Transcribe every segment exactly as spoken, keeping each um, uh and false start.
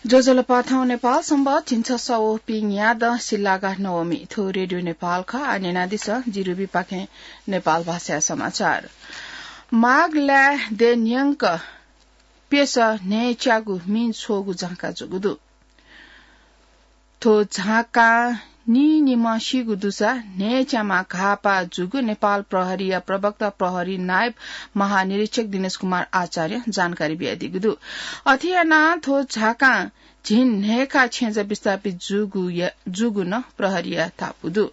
ज्वजलपा, थौं नेपाल संवत् झिंछसः व पीन्यादँ सिल्लागा नवमी। थ्व रेडियो नेपाल खः। आः न्यनादिसँ, जि रुबीपाखें नेपाल भाषाया समाचार। माघ लाय् देय् न्यंक प्यसः न्हय्च्यागू मिं छ्वःगु झांका जूगु दु। थ्व झांकां नीनिम्ह सीगु दुसा न्हय्च्याम्ह घाःपाः जूगु नेपाल प्रहरीया प्रवक्ता प्रहरी नायब महानिरीक्षक दिनेश कुमार आचार्यं जानकारी बियादीगु दु। अथे यानाः थ्व झांकां झिंन्हय्का छेँजः विस्थापित जूगु या-, जूगु नं प्रहरीया धापू दु।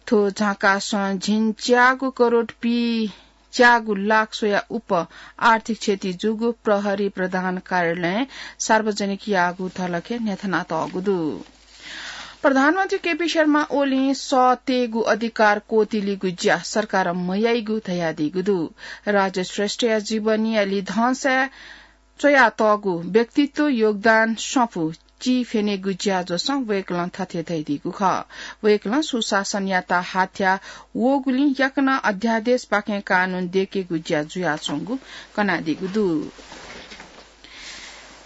थ्व झांकासं झिंच्यागू करोड पीच्यागू लाख स्वयाः उप आर्थिक क्षति जूगु प्रहरी प्रधान कार्यालयं सार्वजनिक याःगु धलखय् न्ह्यथनातःगु दु। प्रधानमन्त्री केपी शर्मा ओलीं सः तयेगु अधिकार क्वतिलिगु ज्या सरकारं मयाइगु धयादीगु दु। राजेश श्रेष्ठया जीवनीया लिधंसाय् च्वयातःगु व्यक्तित्व योगदान सफू चिफ्यनेगु ज्याझ्वलय् वय्कलं थथे धयादीगु खः। वय्कलं सुशासनयात हाथ्या वःगुलिं याकनं अध्यादेशपाखें कानून दयेकेगु ज्या जुयाच्वंगु कनादीगु दु।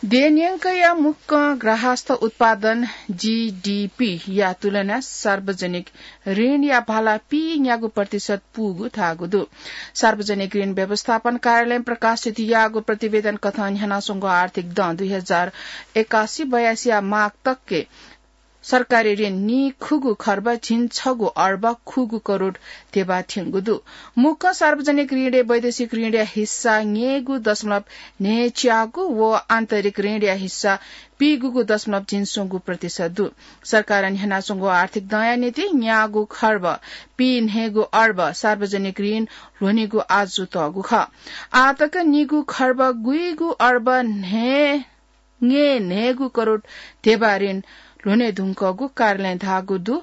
देय् न्यंकया मुक्कं ग्राहस्थ उत्पादन, जीडीपी, या तुलनाय् सार्वजनिक ऋणया भाला पीन्यागू प्रतिशत पूगु धाःगु दु। सार्वजनिक ऋण व्यवस्थापन कार्यालयं प्रकाशित याःगु प्रतिवेदन कथं न्ह्यानाच्वंगु आर्थिक दँ दुई हजार एकासी बयासीया माघ तकय् सरकारी ऋण नीखुगू खर्ब झिंछगू अर्ब खुगू करोड धेबा थ्यंगु दु। मुक्कं सार्वजनिक ऋणय् वैदेशिक ऋणया हिस्सा न्यय्गू दशमलव न्हय्च्यागू व आन्तरिक ऋणया हिस्सा पीगूगू दशमलव झिंस्वंगू प्रतिशत दु। सरकारं न्ह्यानाच्वंगु आर्थिक दँया निंतिं न्यागू खर्ब पीन्हय्गू अर्ब सार्वजनिक ऋण ल्ह्वनेगु आजु तःगु खः। आःतक निगू खर्ब गुइगू अर्ब न्हय् न्हय् न्हय्गू करोड धेबा ऋण ल्ह्वने धुंकूगु कार्यालयं धाःगु दु।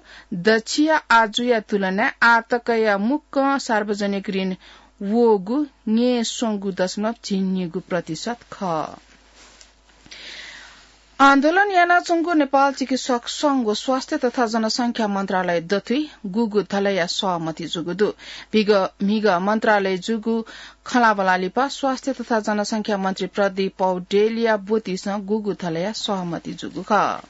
दच्छिया आजुया तुलनाय् आःतकया मुक्कं सार्वजनिक ऋण वःगु न्यय्स्वंगू दशमलव झिंन्हय्गू प्रतिशत खः। आन्दोलन यानाच्वंगु नेपाल चिकित्सक संघ व स्वास्थ्य तथा जनसंख्या मन्त्रालय दथुइ गुगु धलया सहमति जूगु दु। म्हिगः, म्हिगः मन्त्रालय जूगु खँल्हाबल्हा लिपा स्वास्थ्य तथा जनसंख्या मन्त्री प्रदीप पौडेलया ब्वतिसं गुगु धलया सहमति जूगु खः।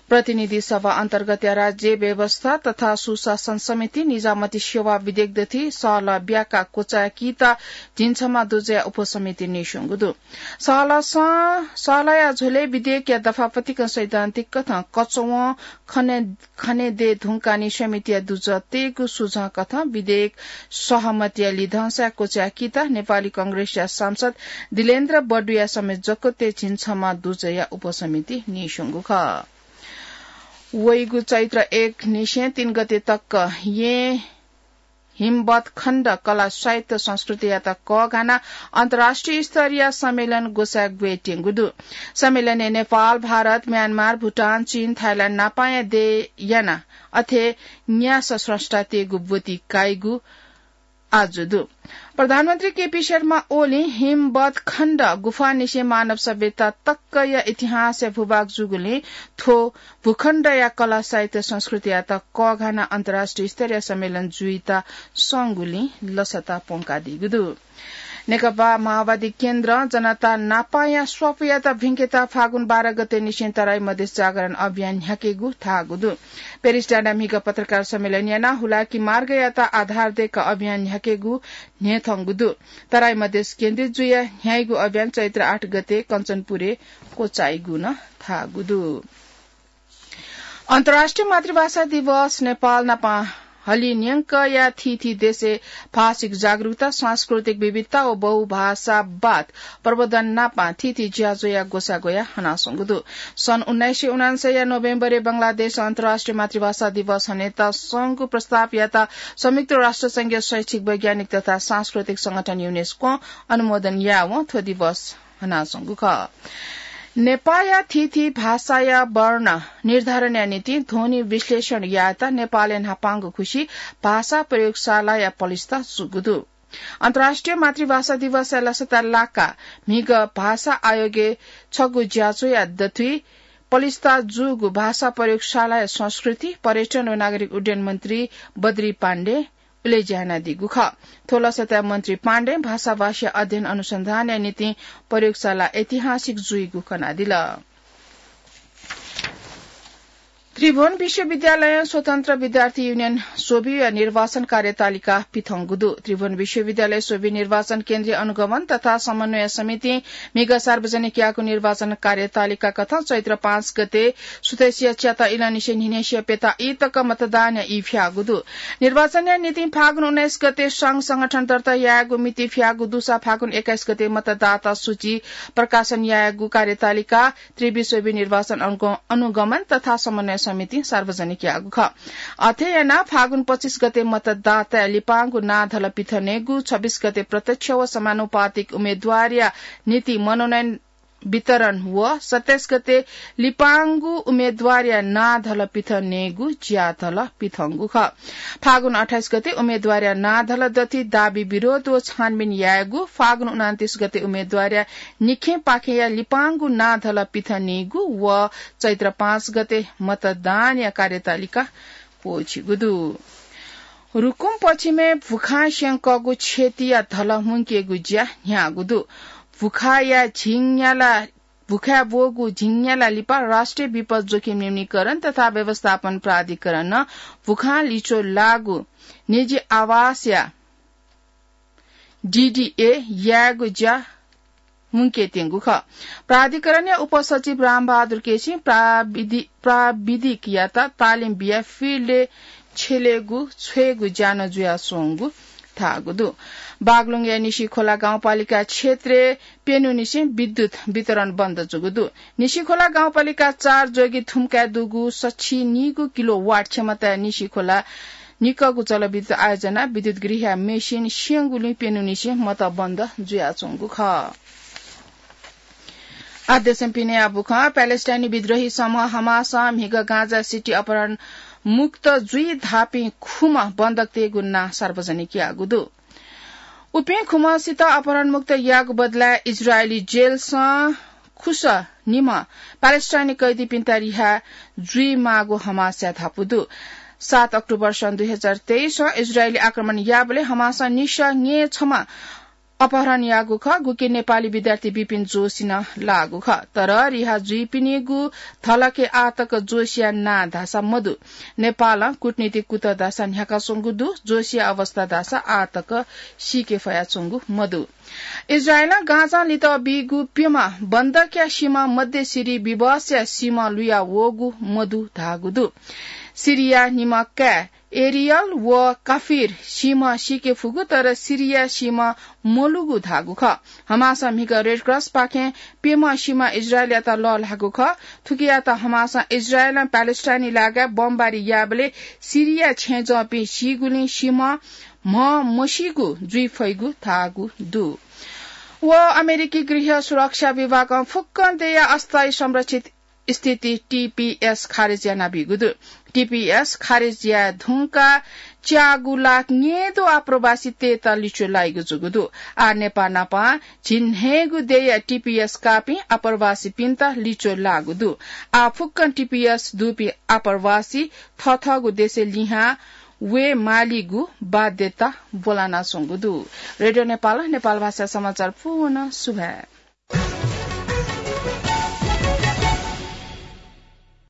प्रतिनिधि सभा अन्तर्गतया राज्य व्यवस्था तथा सुशासन समिति निजामती सेवा विधेयक दथुइ सहलह ब्याका क्वचाय्कीत झिंछम्ह दुजया उपसमिति नीस्वंगु दु। सहलहसं, सहलहया झ्वलय् विधेयकया दफा पतिकं सैद्धान्तिक कथं कचवं खने खने दये धुंकाः नि समितिया दुजः तयेगु सुझाव कथं विधेयक सहमतिया लिधंसाय् क्वचाय्कीत नेपाली कांग्रेसया सांसद दिलेन्द्र बडुया समेत जकतय् झिंछम्ह दुजया उपसमिति नीस्वंगु खः। वइगु चैत्र एक निसें तीन गते तक येँ हिमवत्खण्ड कला साहित्य संस्कृतियात कःघानाः अन्तर्राष्ट्रिय स्तरीय सम्मेलन ग्वसाय् ग्वयेत्यंगु दु। सम्मेलनय् नेपाल, भारत, म्यानमार, भुटान, चीन, थाइल्याण्ड नापांया देय् यानाः अथे न्यासः स्रष्टातय्गु ब्वति काइगु आजु दु। प्रधानमन्त्री केपी शर्मा ओलीं हिमवत्खण्ड गुफांनिसें मानव सभ्यता तकया इतिहासय् भूभाग जूगुलिं थ्व भूखण्डया कला, साहित्य, संस्कृतियात कःघानाः अन्तर्राष्ट्रिय स्तरीय सम्मेलन जुइत संगुलिं लसता प्वंकादीगु दु। नेकपा माओवादी केन्द्रं जनता नापांया स्वापूयात भिंकेत फागुन बाह्र गते निसें तराई मधेस जागरण अभियान न्ह्याकेगु धाःगु दु। पेरिस डाँडाय् म्हिगः पत्रकार सम्मेलन यानाः हुलाकी मार्गयात आधार दय्क अभियान न्ह्याकेगु न्ह्यथंगु दु। तराई मधेस केन्द्रित जुयाः न्ह्याइगु अभियान चैत्र आठ गते कञ्चनपुरय् क्वचाइगु नं धाःगु दु। अन्तर्राष्ट्रिय मातृभाषा दिवस नेपाल नापं हलिं न्यंकया थीथी देशय् भाषिक जागरूकता, सांस्कृतिक विविधता व बहुभाषावाद प्रवर्धन नापं थीथी ज्याझ्वःया ग्वसाः ग्वयाः हनाच्वंगु दु। सन् उन्नाइस सय उनान्सयया नोभेम्बरय् बंगलादेशं अन्तर्राष्ट्रिय मातृभाषा दिवस हनेत संघको प्रस्तावयात संयुक्त राष्ट्र संघया शैक्षिक, वैज्ञानिक तथा सांस्कृतिक संगठन युनेस्कों अनुमोदन याःवं थ्व दिवस हनाच्वंगु खः। नेपाःया थीथी भाषाया वर्ण निर्धारणया निंतिं ध्वनि विश्लेषण यायेत नेपालय् न्हापांगु खुसि भाषा प्रयोगशालाया पलिस्था जूगु दु। अन्तर्राष्ट्रिय मातृभाषा दिवसया लसता लाकाः म्हिगः भाषा आयोगय् छगू ज्याझ्वःया दथुइ पलिस्था जूगु भाषा प्रयोगशालाया संस्कृति, पर्यटन व नागरिक उड्डयन मन्त्री बद्री पाण्डें उलेज्या यानादीगु खः। थ्व लसताय् मन्त्री पाण्डें भाषाभाषी अध्ययन अनुसन्धानया निंतिं प्रयोगशाला ऐतिहासिक जुइगु कनादिल। त्रिभुवन विश्वविद्यालयं स्वतन्त्र विद्यार्थी युनियन स्वबि निर्वाचन कार्यतालिका पिथंगु दु। त्रिभुवन विश्वविद्यालय स्वबि निर्वाचन केन्द्रीय अनुगमन तथा समन्वय समितिं म्हिगः सार्वजनिक याःगु निर्वाचन कार्यतालिका कथं चैत्र पाँच गते सुथसिया च्याता इलंनिसें न्हिनेसिया प्यता ई तक मतदानया ई फ्याःगु दु। निर्वाचनया निंतिं फागुन उन्नाइस गते संघ संगठन दर्ता यायेगु मिति फ्याःगु दुसा फागुन एक्काइस गते मतदाता सूची प्रकाशन यायेगु कार्यतालिका त्रिवि स्वबि निर्वाचन अनुग-, अनुगमन तथा समन्वय समितिं सार्वजनिक याःगु खः। अथे यानाः फागुन पच्चिस गते मतदाताया लिपांगु नां धल पिथनेगु, छब्बिस गते प्रत्यक्ष व समानुपातिक उम्मेद्वारया निंतिं मनोनयन वितरण व सत्ताइस गते लिपांगु उम्मेद्वारया नां धल पिथनेगु ज्या धल पिथंगु खः। फागुन अट्ठाइस गते उम्मेद्वारया नां धल दथि दाबी विरोध व छानबिन यायेगु, फागुन उनान्तिस गते उम्मेद्वारया निखेंपाखेंया लिपांगु नां धल पिथनेगु व चैत्र पाँच गते मतदानया कार्यतालिका क्वःछिगु दु। रुकुम पश्चिमय् भुखां स्यंकःगु क्षतिया धल मुंकेगु ज्या न्ह्याःगु दु। भुखाया झिंन्याला, भुखाय् ब्वःगु झिंन्याला लिपा राष्ट्रिय विपद जोखिम न्यूनीकरण तथा व्यवस्थापन प्राधिकरणं भुखां लिच्वः लाःगु निजी आवासया डीडीए यायेगु ज्या मुंकेत्यंगु खः। प्राधिकरणया उपसचिव रामबहादुर केसीं प्राविधि-, प्राविधिकयात तालिम बियाः फिल्डय् छ्यलेगु छ्वयेगु ज्या नं जुयाच्वंगु धाःगु दु। बागलुङया निसिखोला गाउँपालिका क्षेत्रय् प्यन्हुनिसें विद्युत वितरण बन्द जूगु दु। निसिखोला गाउँपालिका चार जोगी थुम्काय् दुगु सछि नीगु किलो वाट क्षमताया निसिखोला निकःगु जलविद्युत आयोजना विद्युत गृहया मेसिन स्यंगुलिं प्यन्हुनिसें मत बन्द जुयाच्वंगु खः। आदेशं पिने आबुखं प्यालेस्टाइनी विद्रोही समूह हमासं म्हिगः गाजा सिटी अपहरण मुक्त जुइ धाःपिं खुम्ह बन्धकतय्गु नां सार्वजनिक याःगु दु। उपिं खुम्हसित अपहरणमुक्त याःगु बदलाय् इजरायली जेलसं खुसः निम्ह प्यालेस्टाइनी कैदीपिन्त रिहा जुइमाःगु हमासया धापू दु। सात अक्टोबर सन् दुई हजार तेइसं इजरायली आक्रमण याःबलय् हमासं निसः न्येछम्ह अपहरण याःगु खः, गुकी नेपाली विद्यार्थी विपिन जोशी नं लाःगु खः। तर रिहा जुइपिनिगु धलखय् आःतक जोशीया नां धाःसा मदु। नेपालं कूटनीतिक कुतः धाःसा न्ह्याकाच्वंगु दु। जोशीया अवस्था धाःसा आःतक सीके फयाच्वंगु मदु। इजरायलं गाजां लित बीगु प्यम्ह बन्धकया सीम्ह मध्य सिरी विवशया सीम्ह लुया वःगु मदु धाःगु दु। सिरीया निम्ह काय् एरियल व काफिर सीम्ह सीके फुगु, तर सिरीया सीम्ह मलूगु धाःगु खः। हमासं म्हिगः रेडक्रसपाखें प्यम्ह सीम्ह इजरायलयात लःल्हाःगु खः। थुकियात हमासं इजरायलं प्यालेस्टाइनी लागाय् बमबारी याःबलय् सिरीया छेँजःपिं सीगुलिं सीम्ह म्ह मसीगु जुइ फइगु धाःगु दु। व अमेरिकी गृह सुरक्षा विभागं फुक्कं देय्या अस्थायी संरक्षित स्थिति टीपीएस खारेज यानाबीगु दु। टीपीएस खारेज याये धुंकाः च्यागू लाख न्येदु आप्रवासीतय्त लिच्वः लाइगु जूगु दु। आः नेपाः नापं झिंन्हय्गू देय्या टीपीएस काःपिं आप्रवासीपिन्त लिच्वः लाःगु दु। आः फुक्कं टीपीएस दुपिं आप्रवासी थःथःगु देशय् लिहां वये मालीगु बाध्यता ब्वलानाच्वंगु दु। रेडियो नेपालं नेपाल भाषा समाचार पूवं सुभाय्।